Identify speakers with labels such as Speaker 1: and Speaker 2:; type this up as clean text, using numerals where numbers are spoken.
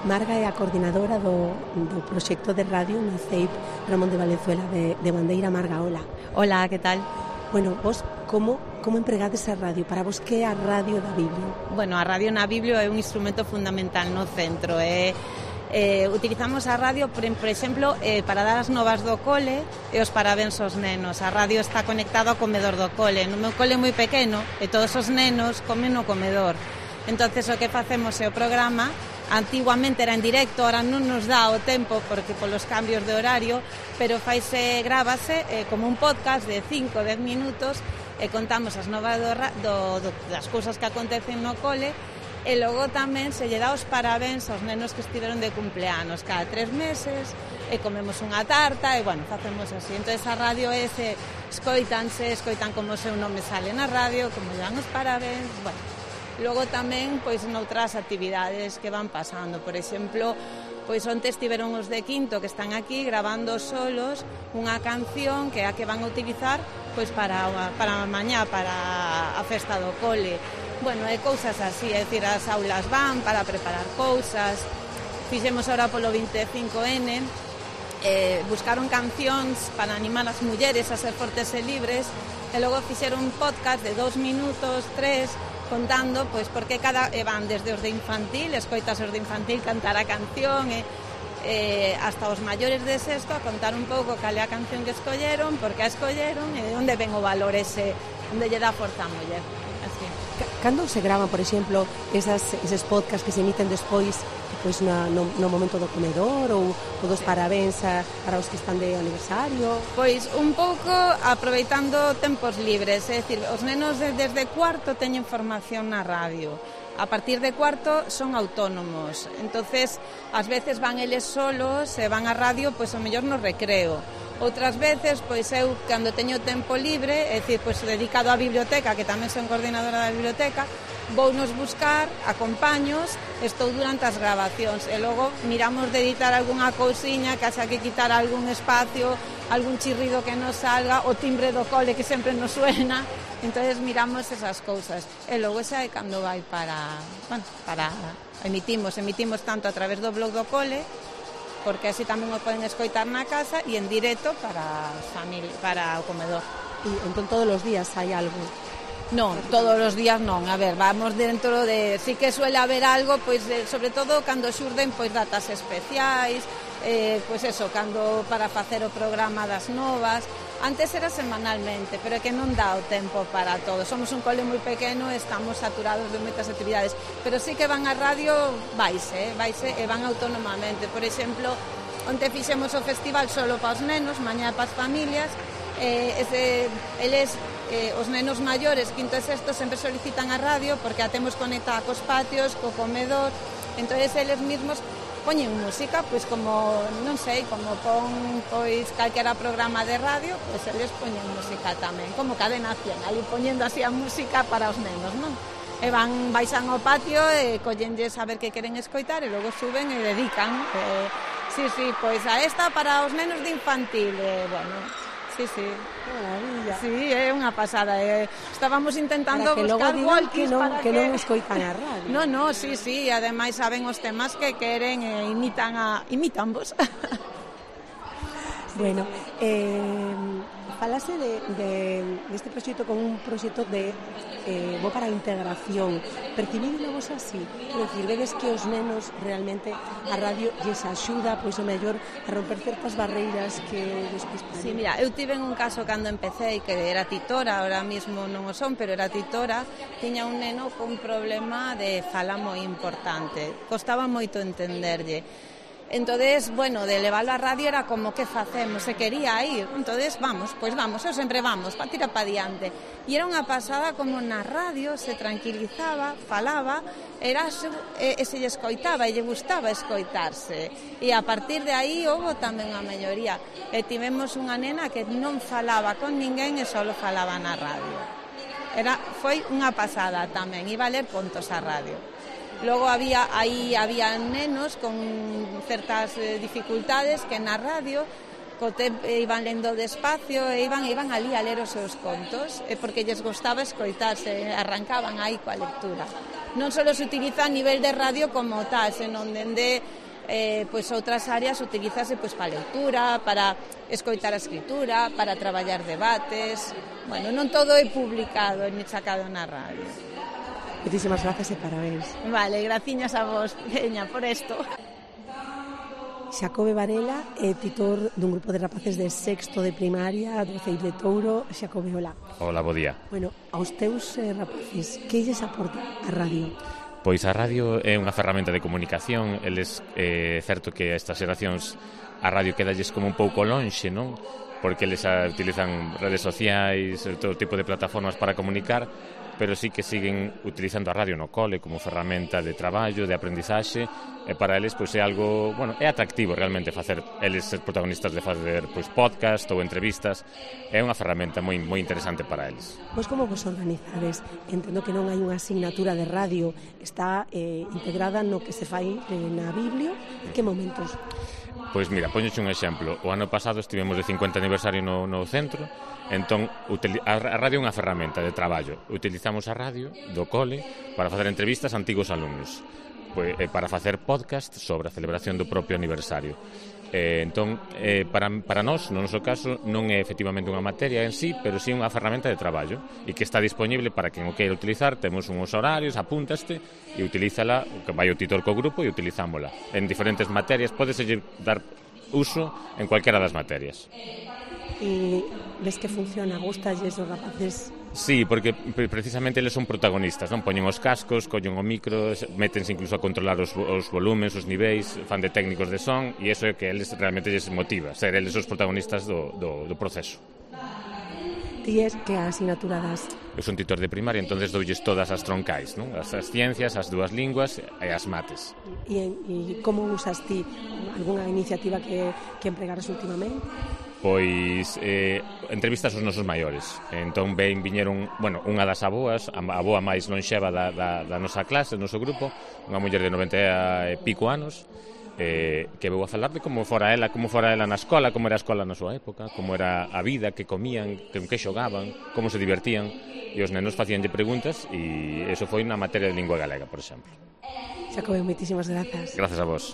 Speaker 1: Marga é a coordinadora do proxecto de radio na CEIP Ramón de Valenzuela de Bandeira. Marga, hola.
Speaker 2: Hola, que tal?
Speaker 1: Bueno, vos como empregades a radio? Para vos que é a radio da Biblia?
Speaker 2: Bueno, a radio na Biblia é un instrumento fundamental no centro. Utilizamos a radio, por exemplo, para dar as novas do cole e os parabéns aos nenos. A radio está conectada ao comedor do cole. No meu cole é moi pequeno e todos os nenos comen no comedor. Entonces o que facemos é o programa. Antiguamente era en directo, ahora non nos dá o tempo porque polos cambios de horario, pero grábase como un podcast de 5-10 minutos e contamos as novas das cousas que acontecen no cole. E logo tamén se lle dá os parabéns aos nenos que estiveron de cumpleanos cada 3 meses e comemos unha tarta e, bueno, facemos así. Entón, a radio escoitan como o seu nome sale na radio, como lle dan os parabéns, bueno. Logo tamén, pois, noutras actividades que van pasando. Por exemplo, pois onte estiveron os de quinto que están aquí grabando solos unha canción que é a que van a utilizar pois para mañá, para a festa do cole. Bueno, é cousas así, é dicir, as aulas van para preparar cousas. Fixemos ahora polo 25N, buscaron cancións para animar as mulleres a ser fortes e libres, e logo fixeron un podcast de 2 minutos, 3, contando, pois, porque van desde os de infantil, escoitas os de infantil cantar a canción, hasta os maiores de sexto a contar un pouco cal é a canción que escolleron, porque a escolleron e onde ven o valor ese, onde lle dá forza a muller. Así.
Speaker 1: Cando se gravan, por exemplo, eses podcasts que se emiten despois, pois no momento do comedor ou dos parabéns para os que están de aniversario?
Speaker 2: Pois un pouco aproveitando tempos libres, é dicir, os nenos desde cuarto teñen formación na radio. A partir de cuarto son autónomos, entonces ás veces van eles solos e van á radio pois ao mellor no recreo. Outras veces, pois eu, cando teño tempo libre, é dicir, pois dedicado á biblioteca, que tamén son coordinadora da biblioteca, vounos buscar, acompaños, estou durante as grabacións e logo miramos de editar algunha cousiña que haxa que quitar algún espacio, algún chirrido que nos salga, o timbre do cole que sempre nos suena, entonces miramos esas cousas e logo xa é cando vai para emitimos tanto a través do blog do cole, porque así tamén o poden escoitar na casa e en directo para o comedor.
Speaker 1: E entón todos os días hai algo?
Speaker 2: Non, todos os días non. A ver, vamos dentro de... Sí que suele haber algo, pois, sobre todo cando xurden pois datas especiais, pois eso, cando para facer o programa das novas. Antes era semanalmente, pero é que non dá o tempo para todo. Somos un cole moi pequeno e estamos saturados de moitas actividades, pero sí que van á radio, vaise e van autónomamente. Por exemplo, onte fixemos o festival solo para os nenos, mañá para as familias, os nenos maiores, quinto e sexto, sempre solicitan a radio porque a temos conectada cos patios, co comedor, entonces eles mesmos poñen música, pois como, non sei, como pon pois calquera programa de radio, pois eles poñen música tamén, como Cadena 100, ali poñendo así a música para os nenos, non? E baixan ao patio e collenlles a ver que queren escoitar e logo suben e dedican. Sí, pois a esta para os nenos de infantil, bueno... Sí.
Speaker 1: Maravilla.
Speaker 2: Sí, é unha pasada. Estábamos intentando buscar walkies para que
Speaker 1: non escoitan a radio.
Speaker 2: No, sí, ademais saben os temas que queren e imitan vos.
Speaker 1: Bueno, falase deste proxecto como un proxecto de bo para a integración. Percibídelo vos así? Quero dicir, vedes que os nenos realmente a radio lles axuda, pois o mellor a romper certas barreiras que despois...
Speaker 2: Sí, mira, eu tive un caso cando empecé que era titora, ahora mismo non o son, pero era titora, tiña un neno con problema de fala moi importante. Costaba moito entenderlle. Entonces, bueno, de levarlo a radio era como, que facemos? Se quería ir. Entonces, vamos, eu sempre vamos, para tirar para diante. E era unha pasada como na radio se tranquilizaba, falaba, e se lle escoitaba e lle gustaba escoitarse. E a partir de aí houve tamén unha melloría. E tivemos unha nena que non falaba con ninguén e só falaba na radio. Foi unha pasada tamén, iba a ler contos a radio. Logo había nenos con certas dificultades que na radio iban lendo despacio e iban ali a ler os seus contos porque lles gostaba escoitarse, arrancaban aí coa lectura. non só se utiliza a nivel de radio como tal, senón dende pois outras áreas utilízase pois para a lectura, para escoitar a escritura, para traballar debates. Bueno, non todo é publicado ni sacado na radio.
Speaker 1: Muchísimas gracias e parabéns.
Speaker 2: Vale, graciñas a vos, Peña, por isto.
Speaker 1: Xacobe Varela é titor dun grupo de rapaces de sexto de primaria do Ceib de Touro. Xacobe, hola.
Speaker 3: Hola, bo día.
Speaker 1: Bueno, aos teus rapaces, que lles aporta a radio?
Speaker 3: Pois a radio é unha ferramenta de comunicación. Eles, certo que a estas xeracións a radio quedalles como un pouco lonxe, non? Porque eles utilizan redes sociais, todo tipo de plataformas para comunicar, pero sí que siguen utilizando a radio no cole como ferramenta de traballo, de aprendizaxe, e para eles pois é algo, bueno, é atractivo realmente facer eles ser protagonistas de facer pois podcast ou entrevistas. É unha ferramenta moi interesante para eles.
Speaker 1: Pois como vos organizades? Entendo que non hai unha asignatura de radio, está integrada no que se fai na Biblio. En que momentos?
Speaker 3: Pois mira, poñoche un exemplo. O ano pasado estivemos de 50 aniversario no centro. Entón, a radio é unha ferramenta de traballo. Utilizamos a radio do cole para facer entrevistas a antigos alumnos, para facer podcast sobre a celebración do propio aniversario. Entón, para nós, no noso caso, non é efectivamente unha materia en sí, pero sí unha ferramenta de traballo e que está disponible para quen o queira utilizar. Temos uns horarios, apúntaste e utilízala, que vai o titor co grupo e utilizámola en diferentes materias. Pódese dar uso en cualquiera das materias.
Speaker 1: E ves que funciona? Gustalles os rapaces?
Speaker 3: Sí, porque precisamente eles son protagonistas, non? Poñen os cascos, collen o micro, métense incluso a controlar os volúmenes, os niveis, fan de técnicos de son, e iso é que eles realmente lles motiva, ser eles os protagonistas do proceso.
Speaker 1: Ti es que a asignatura das?
Speaker 3: Eu son titor de primaria, entonces doulles todas as troncais, non? As ciencias, as dúas linguas e as mates.
Speaker 1: E como usas ti algunha iniciativa que empregaras últimamente?
Speaker 3: Pois entrevistas aos nosos maiores. Entón viñeron, bueno, unha das aboas, a aboa máis lonxeva da nosa clase, do noso grupo, unha muller de 90 e pico anos, que veu a falar de como fora ela na escola, como era a escola na súa época, como era a vida, que comían, que xogaban, como se divertían, e os nenos facíanlle preguntas, e eso foi na materia de lingua galega, por exemplo.
Speaker 1: Xacobe, moitísimas grazas.
Speaker 3: Grazas a vos.